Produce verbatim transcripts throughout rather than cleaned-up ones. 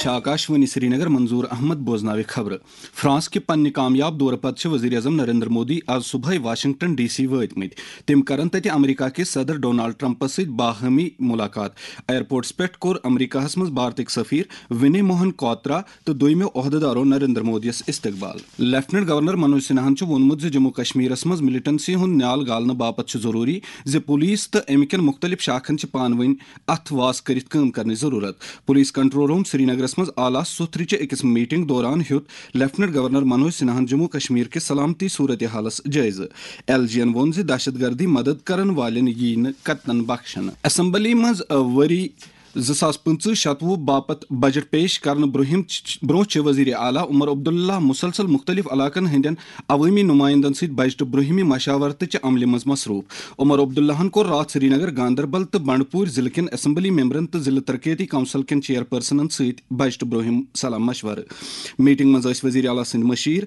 چھِ آکاشوانی سرینگر، منظور احمد بوزناوِ خبرٕ۔ فرانس کہِ پننہِ کامیاب دورٕ پتہٕ چھِ وزیر اعظم نریندر مودی آز صبحٲے واشنگٹن ڈی سی وٲتۍ مٕتۍ۔ تِم کرن تتہِ امریکہ کِس صدر ڈونالڈ ٹرمپس سۭتۍ باہمی ملاقات۔ ایئرپورٹس پٮ۪ٹھ کوٚر امریکہس منٛز بھارتٕکۍ سفیر ونی موہن کوترا تہٕ دوٚیمٮ۪و عہدٕدارو نریندر مودیَس استقبال۔ لیفٹننٹ گورنر منوج سنہاہن چھُ ووٚنمُت زِ جموں کشمیرس منٛز ملیٹنسی ہُنٛد نیال گالنہٕ باپتھ چھُ ضروٗری زِ پولیس تہٕ امہِ کٮ۪ن مُختٔلِف شاخن چھِ پانہٕ ؤنۍ اتھ واس کٔرِتھ کٲم کرنٕچ ضروٗرت۔ پولیس کنٹرول روم سرینگرس منٛز اعلیٰ سُتھرِ چہِ أکِس میٹنگ دوران ہیوٚت لیفٹننٹ گورنر منوج سنہاہن جموں کشمیر کِس سلامتی صورتحالس جٲیزٕ۔ ایل جی ین ووٚن زِ دہشت گردی مدد کرن والٮ۪ن ییہِ نہٕ قطعاً بخشنہٕ۔ اسمبلی منٛز، ٲ، ؤری زٕ ساس پٕنٛژٕہ شتوُہ باپتھ بجٹ پیش کرنہٕ برٛونٛہم چ-، برٛونٛہہ چھِ وزیر اعلیٰ عمر عبداللہ مسلسل مُختٔلِف علاقن ہٕنٛدٮ۪ن عوٲمی نُمایندن سۭتۍ بجٹہٕ برٛونٛہمہِ مشاورتہٕ چہِ عملہِ منٛز مصروٗف۔ عمر عبداللہن کوٚر راتھ سرینگر، گاندربل تہٕ بنڈپوٗر ضلعہٕ کٮ۪ن اسمبلی ممبرن تہٕ ضلعہٕ ترقیتی کونسل کٮ۪ن چیئرپرسنن سۭتۍ بجٹہٕ برٛونٛہم صلاح مشورٕ۔ میٹنگ منٛز ٲسۍ وزیر اعلیٰ سٕنٛدۍ مشیر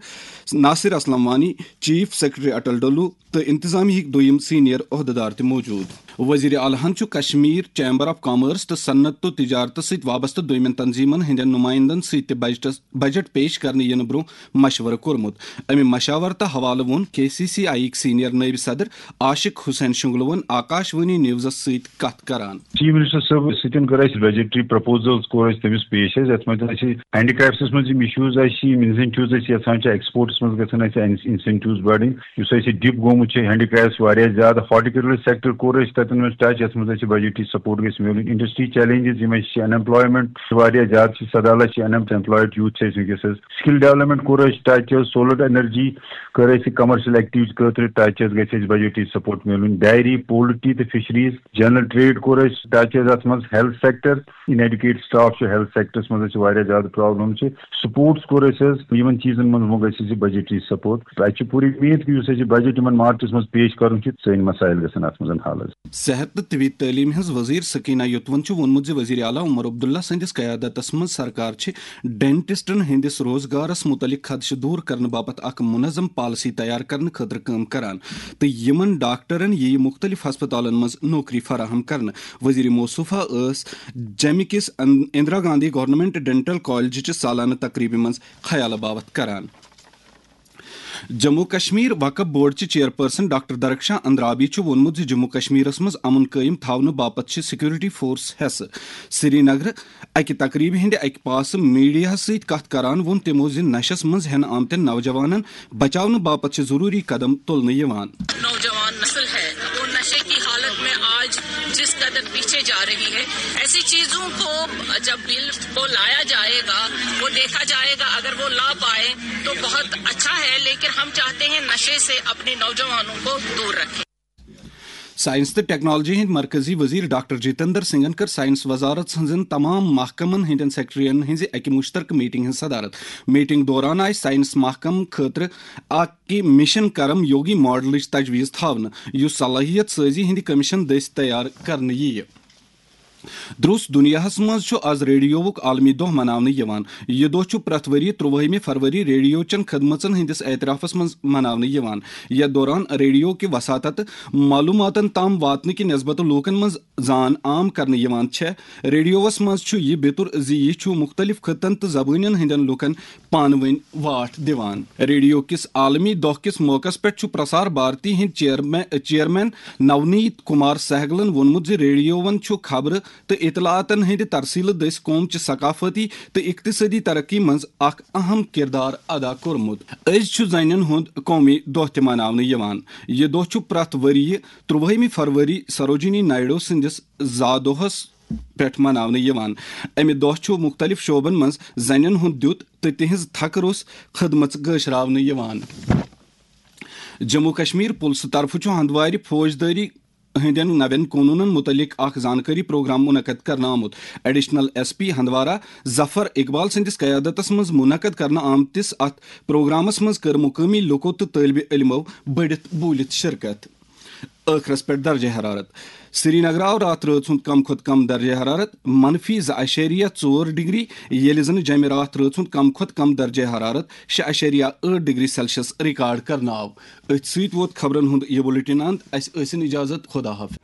ناصر اسلم وانی، چیف سیکرٹری اٹل ڈولو، تہٕ انتظامیہٕکۍ دوٚیِم سینئر عہدٕدار تہِ موجود۔ وزیر اعلیٰ ہن چھُ کشمیر چیمبر آف کامرس تہٕ صنعت تہٕ تجارتس سۭتۍ وابستہٕ دوٚیمٮ۪ن تنظیمن ہٕنٛدٮ۪ن نُمایندن سۭتۍ تہِ بجٹس، بجٹ پیش کرنہٕ یِنہٕ برٛونٛہہ مشورٕ کوٚرمُت۔ امہِ مشاورتہٕ حوالہٕ ووٚن کے سی سی آئی یِکۍ سینئر نٲیِب صدر عاشق حسین شنگلوَن آکاشوانی نیوزس سۭتۍ کتھ کران۔ چیف منسٹر صٲب سۭتۍ کٔر اَسہِ بجٹری پرپوزلز کوٚر اَسہِ تٔمِس پیش حظ، یَتھ منٛز اَسہِ ہینڈی کرافٹس منٛز یِم ایشوز اَسہِ چھِ، یِم انسینٹیوز اَسہِ یَژھان چھِ، ایکسپورٹس منٛز گژھن اَسہِ انسینٹیوز بڑٕنۍ۔ یُس اَسہِ ڈِپ گوٚمُت چھُ ہینڈی کرافٹس واریاہ زیادٕ، ہارٹیکلچر سیکٹر کوٚر اَسہِ تَتٮ۪ن منٛز ٹچ، یَتھ منٛز اَسہِ بجٹری سپورٹ گژھِ میلُن۔ انڈسٹری چیلنجز یِم اَسہِ چھِ، ان ایمپلایمنٹ واریاہ زیادٕ چھِ، سداہ لچھ چھِ ان ایمپلایڈ یوٗتھ چھِ اَسہِ وٕنکیٚس حظ۔ سکل ڈیولپمنٹ کوٚر اَسہِ ٹچ حظ، سولر انرجی کٔر اَسہِ کمرشل ایکٹیویٹیز خٲطرٕ ٹچ حظ، گژھِ اَسہِ بجٹری سپورٹ میلُن۔ ڈائری، پولٹری تہٕ فشریز، جنرل ٹریڈ کوٚر اَسہِ ٹچ حظ، اَتھ منٛز ہیلتھ سیکٹر، ان ایڈیوکیٹ سٹاف چھُ ہیلتھ سیکٹرس منٛز اَسہِ واریاہ زیادٕ پرابلم چھِ۔ سپورٹس کوٚر اَسہِ حظ، یِمن چیٖزن منٛز ووٚن اَسہِ زِ بجٹری سپورٹ۔ اَسہِ چھِ پوٗرٕ اُمید کہِ یُس اَسہِ یہِ بجٹ یِمن مارچس منٛز پیش کرُن چھُ، سٲنۍ مسائل گژھن اَتھ منٛز حل حظ۔ صحت تہٕ طبی تعلیٖم ہٕنٛز وزیر سکینہ یوتون چھُ ووٚنمُت زِ وزیر اعلیٰ عمر عبداللہ سٕنٛدِس قیادتس منٛز سرکار چھِ ڈینٹسٹن ہٕنٛدِس روزگارس مُتعلق خدشہٕ دوٗر کرنہٕ باپتھ اکھ منظم پالیسی تیار کرنہٕ خٲطرٕ کٲم کران تہٕ یِمن ڈاکٹرن یِیہِ مُختٔلِف ہسپتالن منٛز نوکری فراہم کرنہٕ۔ وزیر موصوفہ ٲس جمہِ کِس ان-، اندرا گاندھی گورنمنٹ ڈینٹل کالجہِ چہِ سالانہٕ تقریبہِ منٛز خیالہٕ باوتھ کران۔ جموں کشمیر وقف بورڈ چہِ چیئرپرسن ڈاکٹر درخشاں اندرابی چھُ ووٚنمُت زِ جموں کشمیرس منٛز امن قٲیِم تھاونہٕ باپتھ چھِ سیکورٹی فورس حصہٕ۔ سرینگرٕ اکہِ تقریبہِ ہٕنٛدِ اکہِ پاسہٕ میڈیاہس سۭتۍ کتھ کران ووٚن تِمو زِ نشس منٛز ہٮ۪نہٕ آمتٮ۪ن نوجوانن بچاونہٕ باپتھ چھِ ضروٗری قدم تُلنہٕ یِوان۔ نوجوان نسل ہے، وہ نشے کی حالت میں آج جس قدر پیچھے جا رہی ہے، ایسی چیزوں کو جب بل کو لایا جائے گا، وہ دیکھا جائے گا، اگر وہ لا پائے تو بہت اچھا ہے، لیکن ہم چاہتے ہیں نشے سے اپنے نوجوانوں کو دور رکھیں۔ سائنس تہٕ ٹیکنالوجی ہٕنٛدۍ مرکزی وزیر ڈاکٹر جتیندر سنگھن کٔر سائنس وزارت ہٕنٛزن تمام محکمن ہٕنٛدٮ۪ن سیکرٹریَن ہٕنٛزِ اکہِ مشترکہٕ میٹنگ ہٕنٛز صدارت۔ میٹنگ دوران آیہِ سائنس محکمہٕ خٲطرٕ اکہِ مشن کرم یوگی ماڈلٕچ تجویز تھاونہٕ، یُس صلٲحیت سٲزی ہٕنٛدِ کمیشن دٔسۍ تیار کرنہٕ یِیہِ۔ درٛوس دُنیاہس منٛز چھُ آز ریڈیووُک عالمی دۄہ مناونہٕ یِوان۔ یہِ دۄہ چھُ پرٛٮ۪تھ ؤرۍ یہِ ترٛوٲہمہِ فروری ریڈیو چٮ۪ن خدمژن ہٕنٛدِس اعترافس منٛز مناونہٕ یِوان۔ یَتھ دوران ریڈیو کہِ وساطتہٕ معلوٗماتن تام واتنہٕ کہِ نسبتہٕ لوٗکن منٛز زان عام کرنہٕ یِوان چھےٚ۔ ریڈیووَس منٛز چھُ یہِ بیتُر زِ یہِ چھُ مُختٔلِف خطن تہٕ زبٲنٮ۪ن ہٕنٛدٮ۪ن لوٗکن پانہٕ ؤنۍ واٹھ دِوان۔ ریڈیو کِس عالمی دۄہ کِس موقعس پٮ۪ٹھ چھُ پرسار بھارتی ہٕنٛدۍ چیئرمین، چیئرمین نونیت کمار سہگلن ووٚنمُت زِ ریڈیووَن چھُ خبرٕ تہٕ اطلاعاتن ہٕنٛدِ ترسیلہٕ دٔسۍ قوم چہِ ثقافتی تہٕ اقتصٲدی ترقی منٛز اکھ اہم کردار ادا کوٚرمُت۔ أزۍ چھُ زنٮ۪ن ہُنٛد قومی دۄہ تہِ مناونہٕ یِوان۔ یہِ دۄہ چھُ پرٛٮ۪تھ ؤرۍ یہِ ترٛوٲہمہِ فروری سروجنی نائیڈو سٕنٛدِس زا دۄہس پٮ۪ٹھ مناونہٕ یِوان۔ امہِ دۄہ چھُ مُختٔلِف شعبن منٛز زنٮ۪ن ہُنٛد دیُت تہٕ تِہنٛز تھکہٕ روٚس خدمژ گٲشراونہٕ یِوان۔ جموں کشمیر پُلسہٕ طرفہٕ چھُ ہندوارِ فوجدٲری ہٕنٛدٮ۪ن نوٮ۪ن قونوٗنن مُتعلق اکھ زانکٲری پروگرام منعقد کرنہٕ آمُت۔ ایڈیشنل ایس پی ہندوارہ ظفر اقبال سٕنٛدِس قیادتس منٛز منعقد کرنہٕ آمتِس اتھ پروگرامس منٛز کٔر مقٲمی لوٗکو تہٕ طٲلبہِ علمو بٔڑِتھ بوٗلِتھ شرکت۔ ٲخرس پٮ۪ٹھ درجہ حرارت۔ سرینگر آو راتھ رٲژ ہُنٛد کم کھۄتہٕ کم درجہ حرارت منفی زٕ اعشاریہ ژور ڈگری، ییٚلہِ زن جمہِ راتھ رٲژ ہُنٛد کم کھۄتہٕ کم درجہ حرارت شےٚ اعشاریہ ٲٹھ ڈگری سیلسیس ریکارڈ کرنہٕ آو۔ أتھۍ سۭتۍ ووت خبرن ہُنٛد یہِ بُلٹن اند۔ اسہِ ٲسِن اجازت، خدا حافظ۔